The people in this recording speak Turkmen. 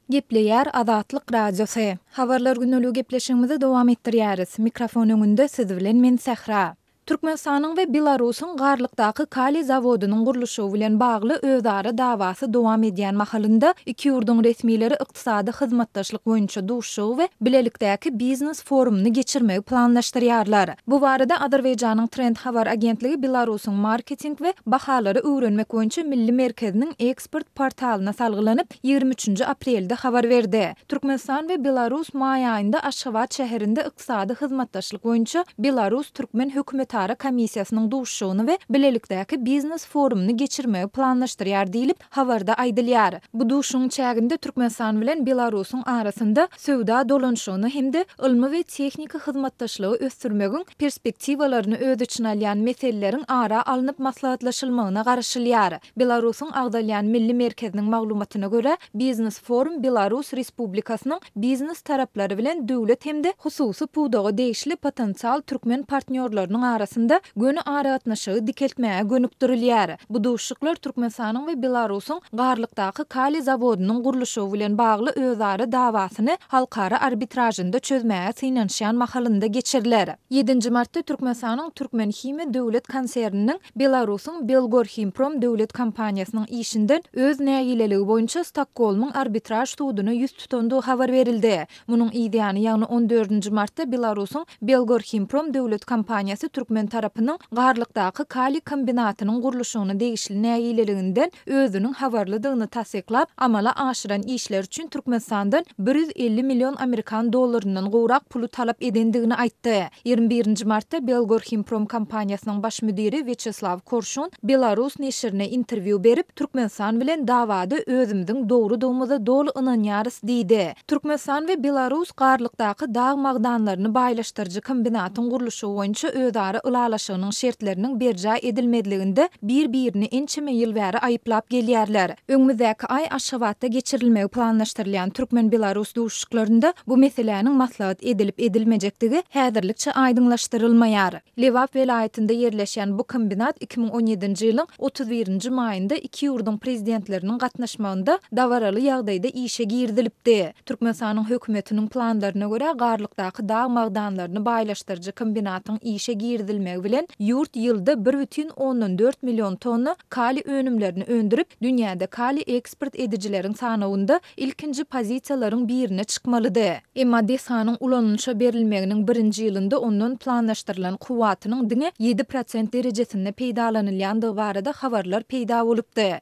Gepleýär Azatlyk Radiosy. Habarlar gündeligi gepleşigimizi dowam etdirýäris. Mikrofon öňünde siz bilen men Sähra. Türkmenistanyň we Belarusyň Garlykdaky kaliý zawodynyň gurluşygy bilen bagly özara dawasy dowam edýän mahalynda, iki ýurduň resmileri ykdysady hyzmatdaşlyk boýunça duşuşygy we bilelikdäki biznes forumyny geçirmegi planlaşdyrýarlar. Bu barada Azerbaýjanyň Trend habar agentligi Belarusyň marketing we bahalary öwrenmek boýunça milli merkeziniň eksport portalyna salgylanyp, 23-nji aprelde habar berdi. Türkmenistan we Belarus maý aýynda Aşgabat şäherinde ykdysady hyzmatdaşlyk boýunça belarus-türkmen hökümetara komissiýasynyň duşuşygyny we bilelikdäki biznes-forumyny geçirmegi planlaşdyrýar diýlip, habarda aýdylýar. Bu duşuşygyň çäginde Türkmenistan bilen Belarusyň arasynda söwda dolanyşygyny hem-de ylmy we tehniki hyzmatdaşlygy ösdürmegiň perspektiwalaryny öz içine alýan meseleleriň ara alnyp maslahatlaşylmagyna garaşylýar. Belarusyň agzalýan Milli merkeziniň maglumatyna görä, biznes-forum Belarus Respublikasynyň biznes taraplary bilen döwlet hem-de hususy pudaga degişli potensial türkmen partnýorlarynyň arasynda göni aragatnaşygy dikeltmäge gönükdirilýär. Bu duşuşyklar Türkmenistanyň we Belarusyň Garlykdaky kaliý zawodynyň gurluşygy bilen bagly özara dawasyny halkara arbitražynda çözmäge synanyşýan mahalynda geçiriler. Ýedinji martda Türkmenistanyň Türkmenhimiýa döwlet konserniniň Belarusyň Belgorhimprom döwlet kompaniýasynyň işinden öz nägileligi boýunça Stokgolmyň arbitraž suduna ýüz tutandygy habar berildi. Munuň yzýany, ýagny on dördünji martda Belarusyň Belgorhimprom döwlet kompaniýasy türkmen tarapynyň Garlykdaky kaliý kombinatynyň gurluşygyna degişli nägileliginden özüniň habarlydygyny tassyklap, amala aşyran işleri üçin Türkmenistandan 150 million amerikan dollaryndan gowrak puly talap edendigini aýtdy. 21-nji martda Belgorhimprom kompaniýasynyň baş müdiri Wýaçeslaw Korşun Belarus neşirine interwýu berip, Türkmenistan bilen dawada özümiziň dogrudygymyza doly ynanýarys diýdi. Türkmenistan we Belarus Garlykdaky dag magdanlaryny baýlaşdyryjy kombinatyň gurluşygy boýunça özara ylalaşygynyň şertleriniň berjaý edilmezliginde bir-birini ençeme ýyl bäri aýyplap gelýärler. Öňümizdäki aý Aşgabatda geçirilmegi planlaşdyrylýan türkmen-belarus duşuşyklarynda bu meseläniň maslahat edilip-edilmejekdigi häzirlikçe aýdyňlaşdyrylmaýar. Lebap welaýatynda ýerleşýän bu kombinat 2017-nji ýylyň 31-nji maýynda iki ýurduň Prezidentleriniň gatnaşmagynda dabaraly ýagdaýda işe girizilipdi. Türkmenistanyň hökümetiniň planlaryna görä, Garlykdaky dag magdanlaryny baýlaşdyryjy kombinatyň işe girizilmegi bilen ýurt ýylda bir bütin ondan dört million tonna kaliý önümlerini öndürip, dünýäde kaliý eksport edijileriň sanawynda ilkinji pozisiýalaryň birine çykmalydy. Emma desganyň ulanylyşa berilmeginiň birinji ýylynda ondan planlaşdyrylan kuwwatynyň diňe 7% derejesinde peýdalanylýandygy barada habarlar peýda bolupdy.